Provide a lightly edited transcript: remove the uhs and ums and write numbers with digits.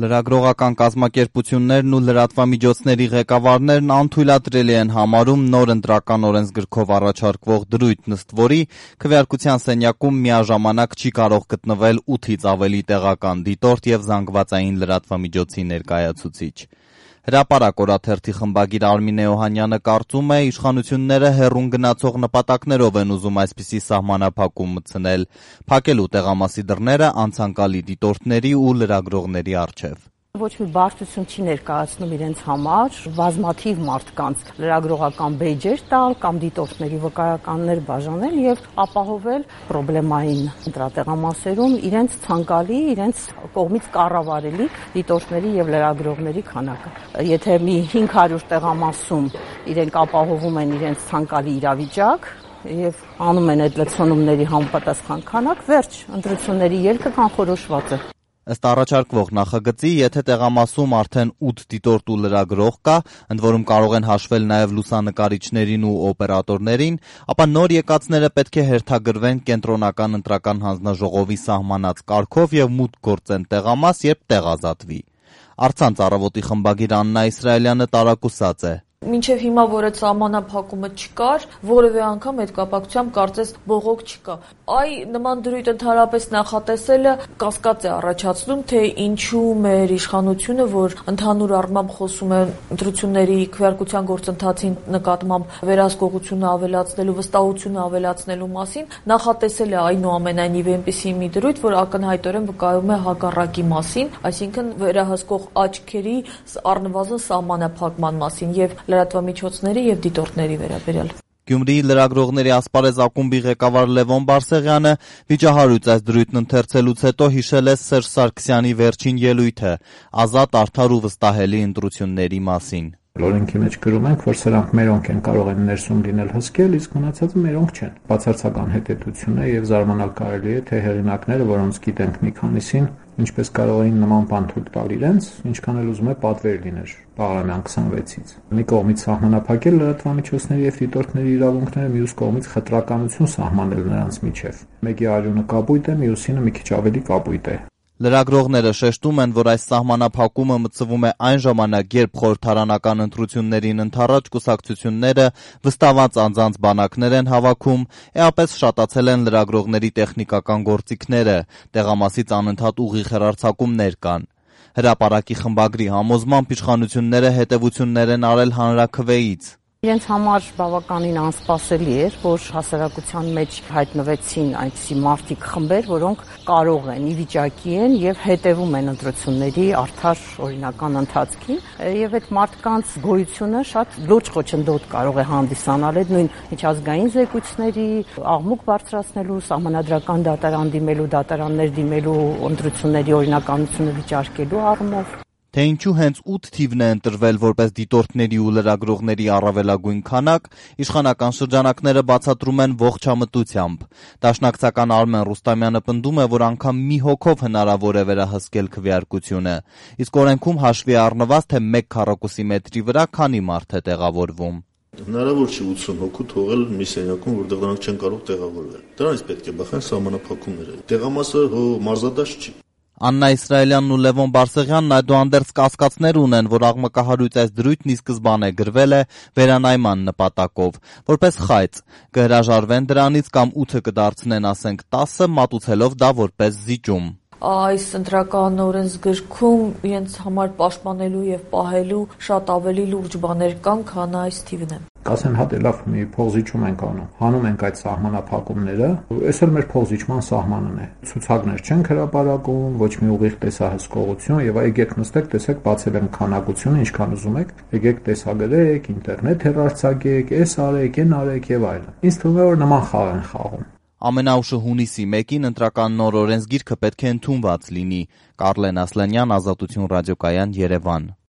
Լրագրողական կազմակերպություններն ու լրատվամիջոցների ղեկավարներն անթույլատրելի են համարում նոր ընտրական օրենսգրքով առաջարկվող դրույթ, ըստ որի քվեարկության սենյակում միաժամանակ չի կարող գտնվել 8-ից ավելի տեղական դիտորդ եւ զանգվածային լրատվամիջոցի ներկայացուցիչ։ Հրապարակ օրաթերթի խմբագիր Արմինե Օհանյանը կարծում է, իշխանությունները հեռուն գնացող նպատակներով են ուզում այսպիսի սահմանափակում մտցնել, փակելու տեղամասի դռները անցանկալի դիտորդների ու լրագրողների առջև։ Ոչ մի բարդություն չի ներկայացնում իրենց համար բազմաթիվ մարդկանց լրագրողական բեյջեր տալ կամ դիտորդների վկայականներ բաժանել եւ ապահովել պրոբլեմային ընտրատեղամասերում իրենց ցանկալի, իրենց կողմից կառավարելի դիտորդների եւ լրագրողների քանակը։ Եթե մի 500 տեղամասում իրենք ապահովում են իրենց ցանկալի իրավիճակ եւ անում են այդ լցոնումների համապատասխան քանակ, վերջ, ընտրությունների ելքը կանխորոշված է։ Ըստ առաջարկվող նախագծի, եթե տեղամասում արդեն 8 դիտորդ ու լրագրող կա, ընդ որում կարող են հաշվել նաև լուսանկարիչներին ու օպերատորներին, ապա նոր եկածները պետք է հերթագրվեն կենտրոնական ընտրական հանձնաժողովի սահմանած կարգով եւ մուտք գործեն տեղամաս, երբ տեղ ազատվի։ Առցանց առավոտի խմբագիր Աննա Իսրայելյանը տարակուսած է։ Մինչև հիմա, որ այդ սահմանափակումը չկար, որևէ անգամ այդ կապակցությամբ կարծես բողոք չկա։ Նման դրույթ ընդհանրապես նախատեսելը կասկած է առաջացնում, թե ինչու մեր իշխանությունը, որ ընդհանուր առմամբ խոսում է ընտրությունների քվեարկության գործընթացին նկատմամբ վերահսկողությունը ավելացնելու, վստահությունը ավելացնելու մասին, նախատեսել է այնուամենայնիվ այնպիսի մի դրույթ, որ ակնհայտորեն վկայում է հակառակի մասին, այսինքն վերահսկող աչքերի առնվազն սահմանափակման մասին եւ լրատվամիջոցների եւ դիտորդների վերաբերյալ։ Գյումրիի լրագրողների ասպարեզ ակումբի ղեկավար Լևոն Բարսեղյանը վիճահարույց այս դրույթն ընթերցելուց հետո հիշել է Սերժ Սարգսյանի վերջին ելույթը ազատ, արդար ու վստահելի ընտրությունների մասին։ Օրենքի մեջ գրում ենք, որ սրանք մերոնք են կարող են ներսում լինել հսկել, իսկ մնացածը մերոնք չեն։ Բացարձական հետեւություն է եւ զարմանալ կարելի է, թե հեղինակները, որոնց գիտենք մի քանիսին, ինչպես կարող էին նման բան թույլ տալ իրենց, ինչքան էլ ուզում է պատվեր լիներ Բաղրամյան 26-ից։ Մի կողմից սահմանափակել լրատվամիջոցների եւ դիտորդների իրավունքները, մյուս կողմից խտրականություն սահմանել նրանց միջև։ Մեկի արյունը կապույտ է, մյուսինը մի քիչ ավելի կապույտ է։ Լրագրողները շեշտում են, որ այս սահմանափակումը մտցվում է այն ժամանակ, երբ խորհրդարանական ընտրություններին ընդառաջ կուսակցությունները վստահված անձանց բանակներ են հավաքում, էապես շատացել են լրագրողների տեխնիկական գործիքները, տեղամասից անընդհատ ուղիղ հեռարձակումներ կան։ Հրապարակի խմբագրի համոզմամբ իշխանությունները հետևություններ են արել հանրաքվեից։ Իրենց համար բավականին անսպասելի էր, որ հասարակության մեջ հայտնվեցին այնպիսի մարդիկ խմբեր, որոնք կարող են, ի վիճակի են եւ հետեւում են ընտրությունների արդար օրինական ընթացքին, եւ այդ մարդկանց գոյությունը շատ լուրջ խոչընդոտ կարող է հանդիսանալ այդ նույն միջազգային զեկույցների աղմուկ բարձրացնելու, սահմանադրական դատարան դիմելու, դատարաններ դիմելու, ընտրությունների օրինականությունը վիճարկելու առումով։ Թե ինչու հենց 8 թիվն է ընտրվել որպես դիտորդների ու լրագրողների առավելագույն քանակ, իշխանական շրջանակները բացատրում են ողջամտությամբ։ Դաշնակցական Արմեն Ռուստամյանը պնդում է, որ անգամ մի հոգով հնարավոր է վերահսկել քվեարկությունը, իսկ օրենքում հաշվի առնված, թե 1 քառակուսի մետրի վրա քանի մարդ է տեղավորվում։ Հնարավոր չի 80 հոգու թողել մի սենյակում, որտեղ դրանք չեն կարող տեղավորվել։ Դրանից պետք է բախեն սահմանափակումները։ Տեղամասը մարզադաշտ չի։ Աննա Իսրայելյանն ու Լևոն Բարսեղյանն այդուհանդերձ կասկածներ ունեն, որ աղմկահարույց այս դրույթն ի սկզբանե գրվել է վերանայման նպատակով, որպես խայծ, կհրաժարվեն դրանից կամ 8-ը կդարձնեն, ասենք 10-ը, մատուցելով դա որպես զիջում։ Այս ընտրական օրենսգրքում իրենց համար պաշտպանելու եւ պահելու շատ ավելի լուրջ բաներ կան, քան այս թիվն է։ Կասեն հատ լավ մի փողզիջում ենք անում։ Հանում ենք այդ սահմանափակումները, այս էլ մեր փողզիջման սահմանն է։ Ցուցակներ չեն հրապարակում, ոչ մի ուղիղ տեսահսկողություն եւ եկեք նստեք, տեսեք, բացել եմ քանակությունը, ինչքան ուզում եք, եկեք տեսագրեք, ինտերնետ հեռարձակեք, այս արեք, այն արեք եւ այլն։ Ինձ թվում է, որ նման խաղ են խաղում։ Ամենաուշը հունիսի 1-ին ընտրական նոր օրենսգիրքը պետք է ընդունված լինի։ Կարլեն Ասլանյան, Ազատություն ռադիոկայան, Երևան։